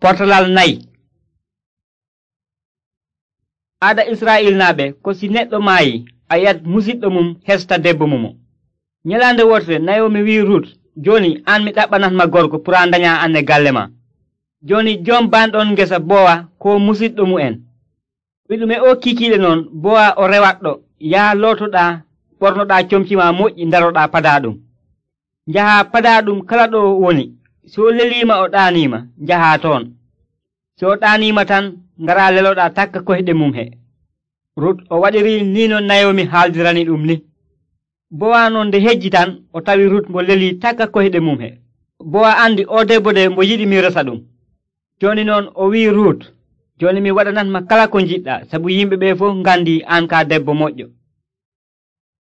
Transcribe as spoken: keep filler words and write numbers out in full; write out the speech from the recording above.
Potalal nayi. Aada Israa'ilnaaɓe ko si neɗɗo maayi a yiyat musidɗo mum hesta debbo mumo. Nyalaande wotere Nayomi wi'i Rut, jooni an mi ɗaɓɓanatma gorko pour a ndanya an e galle ma. Jooni jom banɗon ngesa Bowa ko musidɗo mu'en. Wiɗume o kiikiiɗe noon Bowa o rewatɗo, yaha lootoɗaa, ɓornoɗaa comci ma moƴƴi ndaroɗaa padaaɗum. Njahaa padaaɗum kala ɗo woni. So leliima o ɗaaniima, njahaa toon. So ɗaaniima tan, ngaraa leloɗaa takka koyɗe mum he. Rut o waɗiri ni no Nayomi haaldirani ɗum ni. Bowa non nde hejji tan o tawi Rut mo lelii takka koyɗe mum he. Bowa andi o debbo de mo yiɗi mi resa ɗum. Jooni noon o wi'i Rut, jooni mi waɗanatma kala ko njiɗɗaa, sabu yimɓe ɓe fof ngandi an ka debbo moƴƴo.